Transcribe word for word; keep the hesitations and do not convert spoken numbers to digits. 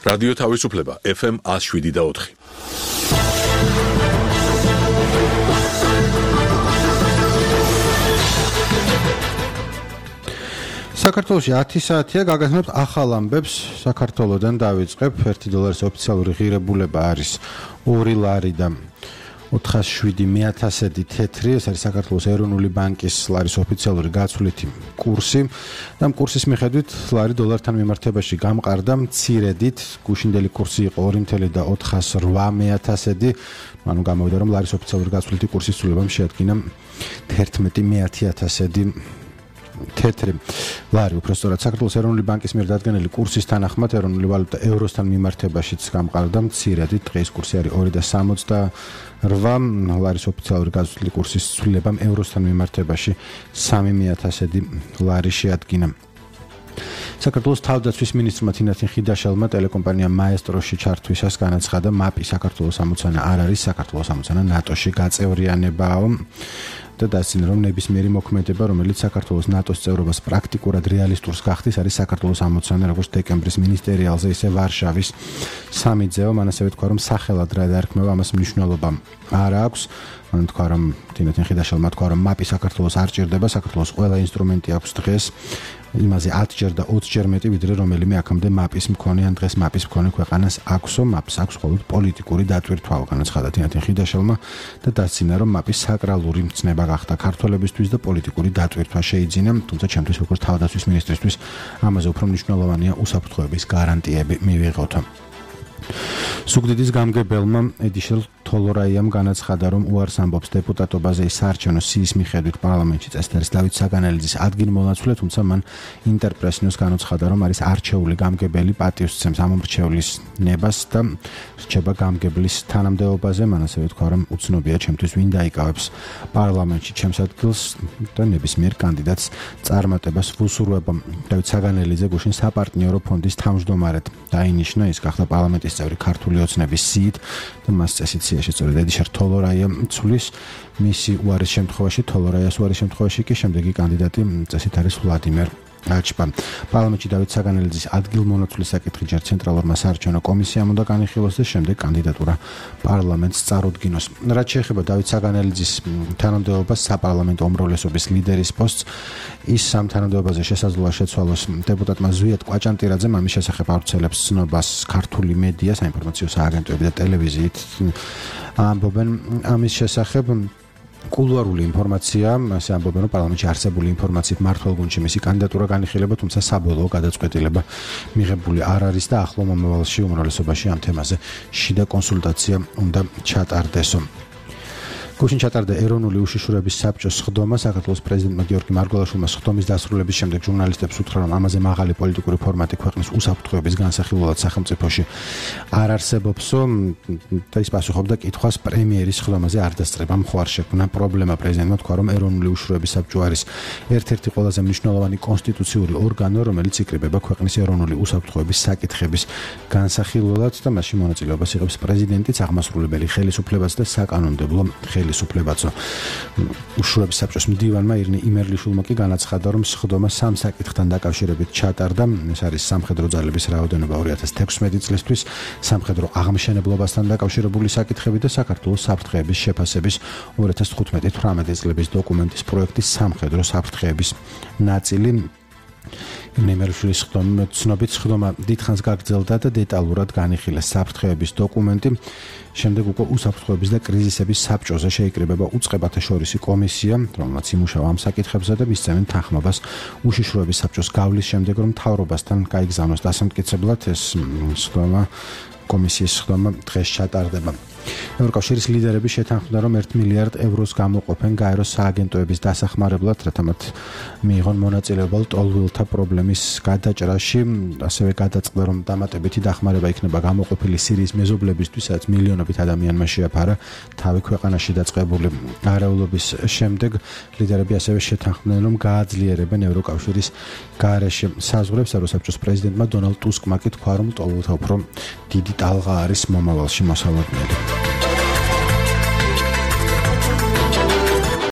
რადიო თავისუფლება ეფ ემ one oh seven და four. საქართველოში ათი საათია გაგაცნობთ ახალ ამბებს. საქართველოდან დავიწყებ. ერთი დოლარის ოფიციალური ღირებულება არის ორი ლარი და ოთხასი ათასედი თეთრი. ეს არის საქართველოს ეროვნული ბანკის ლარის ოფიციალური გაცვლითი კურსი და ამ კურსის მიხედვით ლარი დოლართან მიმართებაში გამყარდა მცირედით. გუშინდელი კურსი იყო ორი ოთხასი ათი ათასედი. ანუ გამოვიდა რომ ლარის ოფიციალური გაცვლითი კურსის ცვლილებამ შეადგინა ერთმეტი ათასედი თეთრი ლარი. უпростоრად საქართველოს ეროვნული ბანკის მიერ დადგენილი კურსის თანახმად ეროვნული ვალუტა ევროსთან მიმართებაშიც გამყარდა მცირედით. დღეს კურსი არის ორი სამოცდაორ. ლარის ოფიციალური გაცვლითი კურსის ცვლილებამ ევროსთან მიმართებაში სამი ათასედი ლარი შეადგინა. საქართველოს თავდაცვის მინისტრმა თინათინ ხიდაშელმა ტელეკომპანია მაესტროში ჩართვისას განაცხადა, მაპი საქართველოს ამოცანა არ არის, საქართველოს ამოცანა ნატოში გაწევრიანებაა და დასწინა, რომ ნებისმიერი მოქმედება, რომელიც საქართველოს ნატოს წევრობას პრაქტიკულად რეალისტურს გახდის, არის საქართველოს ამოცანა, როგორც დეკემბრის მინისტერიალზე, ისე ვარშავის სამიტზე. მან ასევე თქვა, რომ სახელად რა დაარქმევა, ამას მნიშვნელობა არ აქვს. მან თქვა, რომ თინათინ ხიდაშელმა თქვა, რომ მაპი საქართველოს არ ჭირდება, საქართველოს ყველა ინსტრუმენტი აქვს დღეს. იმაზე ათჯერ და ოცჯერ მეტი, ვიდრე რომელიმე აქამდე მაპის მქონე ან დღეს მაპის მქონე ქვეყანას აქვსო. მაპს აქვს მხოლოდ პოლიტიკური დატვირთვა, განაცხადა თინათინ ხიდაშელმა და დასცინა, რომ მაპის საკრალური მცნება გახდა ქართველებისთვის და პოლიტიკური დატვირთვა შეიძინა. თუმცა ჩემთვის როგორც თავდაცვის მინისტრისთვის ამაზე უფრო მნიშვნელოვანია უსაფრთხოების გარანტიები მივიღოთ. სუგდიდის გამგებელმა ედიშელ თოლორაიამ განაცხადა, რომ უარს ამბობს დეპუტატობაზე საარჩევნო სიის მიხედვით პარლამენტში წესდარის დავით საგანელიძის ადგილმონაცვლე, თუმცა მან ინტერპრესნიოს განაცხადა, რომ არის არჩეული გამგებელი, პატივს სცემს ამომრჩევლის ნებას და რჩება გამგებლის თანამდებობაზე. მან ასევე თქვა, რომ უცნობია ჩემთვის ვინ დაიკავებს პარლამენტში ჩემს ადგილს და ნებისმიერ კანდიდატს წარმატებას ვუსურვებ. დავით საგანელიძე გუშინ საპარტნიორო ფონდის თავმჯდომარედ დაინიშნა. ის გახდა პარლამენტის წევრი ქართული ოცნების სიით და მას წესით სიაში სწორედ ედიშარ თოლორაია ცვლის. მისი უარის შემთხვევაში, თოლორაიას უარის შემთხვევაში კი შემდეგი კანდიდატი წესით არის ვლადიმერ აჩპა. პარლამენტში დავით საგანელიძის ადგილმონაცვლის საკითხი ჯერ ცენტრალურმა საარჩევნო კომისიამ უნდა განიხილოს და შემდეგ კანდიდატურა პარლამენტს წარუდგინოს. რაც შეეხება დავით საგანელიძის თანამდებობას საპარლამენტო უმრავლესობის ლიდერის პოსტს, ის ამ თანამდებობაზე შესაძლოა შეცვალოს დეპუტატმა ზვიად კვაჭანტირაძემ. ამის შესახებ ავრცელებს ცნობას ქართული მედია, საინფორმაციო სააგენტოები და ტელევიზიით ამბობენ ამის შესახებ. კულუარული ინფორმაცია, ასე ამბობენ, რომ პარლამენტში არსებული ინფორმაციით მართლ გუნდში მისი კანდიდატურა განიხილება, თუმცა საბოლოო გადაწყვეტილება მიღებული არ არის და ახლო მომავალში უმრავლესობაში ამ თემაზე შიდა კონსულტაცია უნდა ჩატარდეს. გუშინ ჩატარდა ეროვნული უშიშროების საბჭოს სხდომა. საქართველოს პრეზიდენტმა გიორგი მარგველაშვილმა სხდომის დასრულების შემდეგ ჟურნალისტებს უთხრა, რომ ამაზე მაღალი პოლიტიკური ფორმატი ქვეყნის უსაფრთხოების განსახილველად სახელმწიფოში არ არსებობსო და ის პასუხობდა კითხვას პრემიერის სხდომაზე არ დასწრება მხوار შექმნა პრობლემა. პრეზიდენტმა თქვა, რომ ეროვნული უშიშროების საბჭო არის ერთ-ერთი ყველაზე მნიშვნელოვანი კონსტიტუციური ორგანო, რომელიც იკრიბება ქვეყნის ეროვნული უსაფრთხოების საკითხების განსახილველად და მასში მონაწილეობას იღებს პრეზიდენტიც, აღმასრულებელი ხელისუფლებაც და საკანონმდებლო ხელისუფლებაცო. უშიშროების საბჭოს მდივანმა ირინე იმერლიშვილმა კი განაცხადა, რომ სხდომა სამ საკითხთან დაკავშირებით ჩატარდა. ეს არის სამხედრო ძალების რაოდენობა ორი ათას თექვსმეტი წლისთვის, სამხედრო აღმშენებლობასთან დაკავშირებული საკითხები და საქართველოს საფრთხეების შეფასების ორი ათას თხუთმეტი თვრამეტი წლების დოკუმენტის პროექტის სამხედრო საფრთხეების ნაწილი. იმერლიშვილის სხდომა ცნობით სხდომა დიდხანს გაგრძელდა და დეტალურად განიხილეს საფრთხეების დოკუმენტი. შემდეგ უკვე უსაფრთხოების და კრიზისების საბჭოზე შეიკრიბება უწყებათა შორისი კომისია, რომელმაც იმუშავა ამ საკითხებზე და მისცემენ თანხმობას უშიშროების საბჭოს გავლის შემდეგ, რომ მთავრობასთან გაიგზავნოს დასამტკიცებლად. ეს სხდომა კომისიის სხდომა დღეს ჩატარდება. ევროკავშირის ლიდერები შეთანხმდა, რომ ერთ მილიარდ ევროს გამოყოფენ გაეროს სააგენტოების დასახმარებლად, რათა მათ მიიღონ მონაწილეობა ლტოლვილთა პრობლემის გადაჭრაში. ასევე გადაწყდა, რომ დამატებითი დახმარება იქნება გამოყოფილი სირიის მეზობლებისთვის, სადაც მილიონობით ადამიანმა შეაფარა თავი ქვეყანაში დაწყებული არეულობის შემდეგ. ლიდერები ასევე შეთანხმდნენ, რომ გააძლიერებენ ევროკავშირის გარეშე საზღვრებს. ევროსაბჭოს პრეზიდენტმა დონალდ ტუსკმა კი თქვა, რომ ლტოლვილთა უფრო დიდი ტალღა არის მომავალში მოსალოდნელი.